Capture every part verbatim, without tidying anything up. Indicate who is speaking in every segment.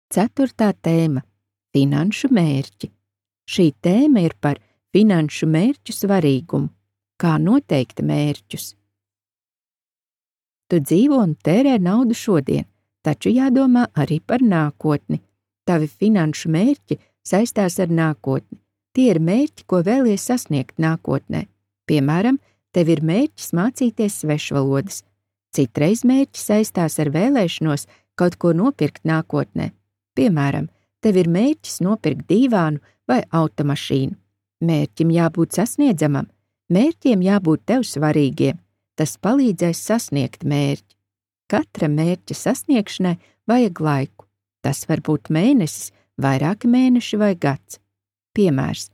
Speaker 1: Ceturtā tēma – finanšu mērķi. Šī tēma ir par finanšu mērķu svarīgumu, kā noteikt mērķus. Tu dzīvo un tērē naudu šodien, taču jādomā arī par nākotni. Tavi finanšu mērķi saistās ar nākotni. Tie ir mērķi, ko vēlies sasniegt nākotnē. Piemēram, tev ir mērķis mācīties svešvalodas. Citreiz mērķi saistās ar vēlēšanos kaut ko nopirkt nākotnē. Piemēram, tev ir mērķis nopirkt dīvānu vai automašīnu. Mērķim jābūt sasniedzamam, mērķiem jābūt tev svarīgiem. Tas palīdzēs sasniegt mērķi. Katra mērķa sasniegšanai vajag laiku. Tas var būt mēnesis, vairāki mēneši vai gads. Piemērs.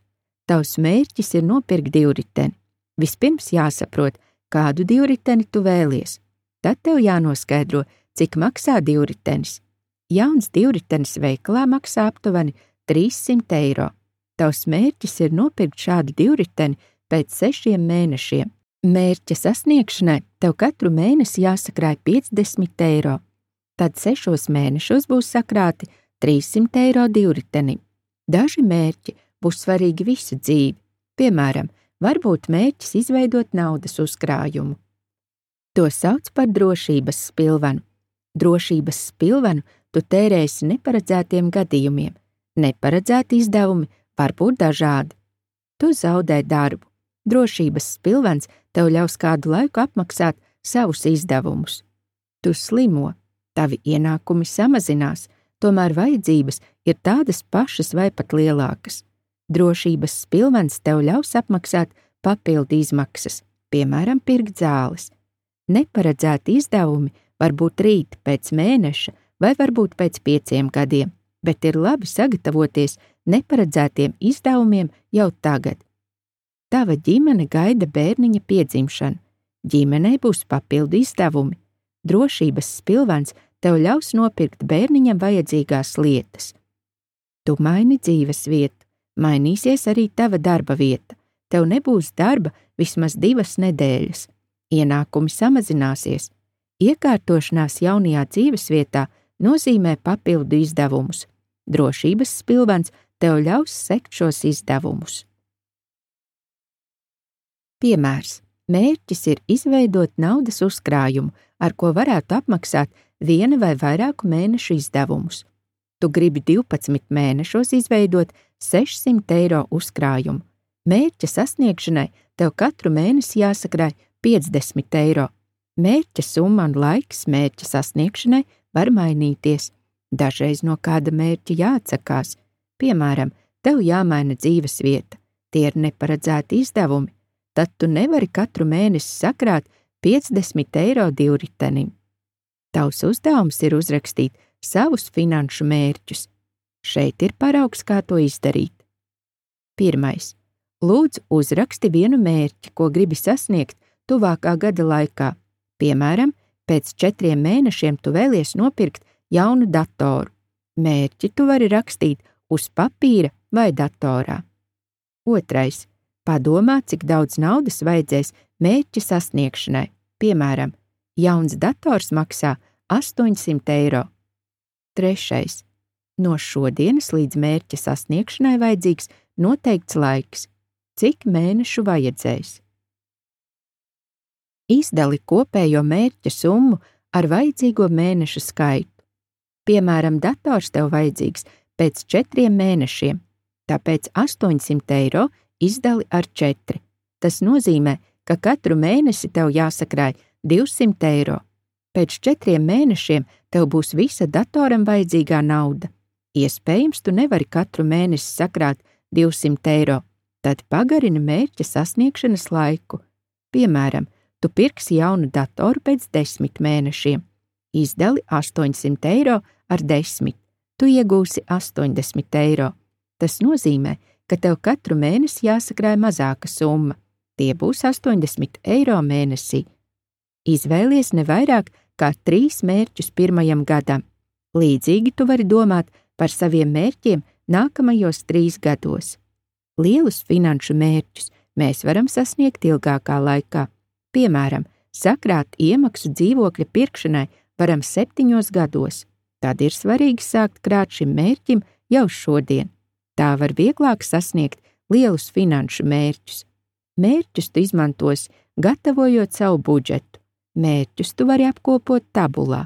Speaker 1: Tavs mērķis ir nopirkt divriteni. Vispirms jāsaprot, kādu divriteni tu vēlies. Tad tev jānoskaidro, cik maksā divritenis. Jauns divritenis veikalā maksā aptuveni trīssimt eiro. Tavs mērķis ir nopirkt šādu divriteni pēc sešiem mēnešiem. Mērķa sasniegšanai tev katru mēnesi jāsakrāj piecdesmit eiro. Tad sešos mēnešos būs sakrāti trīssimt eiro divritenim. Daži mērķi būs svarīgi visu dzīvi. Piemēram, varbūt mērķis izveidot naudas uzkrājumu. To sauc par drošības spilvenu. Drošības spilvenu tu tērēsi neparedzētiem gadījumiem. Neparedzēti izdevumi var būt dažādi. Tu zaudē darbu. Drošības spilvens tev ļaus kādu laiku apmaksāt savus izdevumus. Tu slimo. Tavi ienākumi samazinās, tomēr vajadzības ir tādas pašas vai pat lielākas. Drošības spilvens tev ļaus apmaksāt papildu izmaksas, piemēram, pirkt zāles. Neparedzēti izdevumi var būt rīt pēc mēneša vai varbūt pēc pieciem gadiem, bet ir labi sagatavoties neparedzētiem izdevumiem jau tagad. Tava ģimene gaida bērniņa piedzimšanu. Ģimenei būs papildu izdevumi. Drošības spilvens tev ļaus nopirkt bērniņam vajadzīgās lietas. Tu maini dzīves vietu, mainīsies arī tava darba vieta. Tev nebūs darba vismaz divas nedēļas. Ienākumi samazināsies. Iekārtošanās jaunajā dzīves vietā nozīmē papildu izdevumus. Drošības spilvens tev ļaus sekt šos izdevumus. Piemērs. Mērķis ir izveidot naudas uzkrājumu, ar ko varētu apmaksāt viena vai vairāku mēnešu izdevumus. Tu gribi divpadsmit mēnešos izveidot sešsimt eiro uzkrājumu. Mērķa sasniegšanai tev katru mēnesi jāsakrāj piecdesmit eiro. Mērķa summa un laiks mērķa sasniegšanai var mainīties. Dažreiz no kāda mērķa jāatsakās. Piemēram, tev jāmaina dzīves vieta. Tie ir neparedzēti izdevumi. Tad tu nevari katru mēnesi sakrāt piecdesmit eiro divritenim. Tavs uzdevums ir uzrakstīt savus finanšu mērķus. Šeit ir paraugs, kā to izdarīt. Pirmais. Lūdzu, uzraksti vienu mērķi, ko gribi sasniegt tuvākā gada laikā. Piemēram, pēc četriem mēnešiem tu vēlies nopirkt jaunu datoru. Mērķi tu vari rakstīt uz papīra vai datorā. Otrais. Padomā, cik daudz naudas vajadzēs mērķa sasniegšanai. Piemēram, jauns dators maksā astoņsimt eiro. Trešais. No šodienas līdz mērķa sasniegšanai vajadzīgs noteikts laiks. Cik mēnešu vajadzēs? Izdali kopējo mērķa summu ar vajadzīgo mēnešu skaitu. Piemēram, dators tev vajadzīgs pēc četriem mēnešiem, tāpēc astoņsimt eiro izdali ar četri. Tas nozīmē, ka katru mēnesi tev jāsakrāj divsimt eiro. Pēc četriem mēnešiem tev būs visa datoram vajadzīgā nauda. Iespējams, tu nevari katru mēnesi sakrāt divsimt eiro, tad pagarini mērķa sasniegšanas laiku. Piemēram, tu pirksi jaunu datoru pēc desmit mēnešiem. Izdali astoņsimt eiro ar desmit. Tu iegūsi astoņdesmit eiro. Tas nozīmē, ka tev katru mēnesi jāsakrāj mazāka summa. Tie būs astoņdesmit eiro mēnesī. Izvēlies ne vairāk kā trīs mērķus pirmajam gadam. Līdzīgi tu vari domāt par saviem mērķiem nākamajos trīs gados. Lielus finanšu mērķus mēs varam sasniegt ilgākā laikā. Piemēram, sakrāt iemaksu dzīvokļa pirkšanai varam septiņos gados. Tad ir svarīgi sākt krāt šim mērķim jau šodien. Tā var vieglāk sasniegt lielus finanšu mērķus. Mērķus tu izmantos, gatavojot savu budžetu. Mērķus tu vari apkopot tabulā.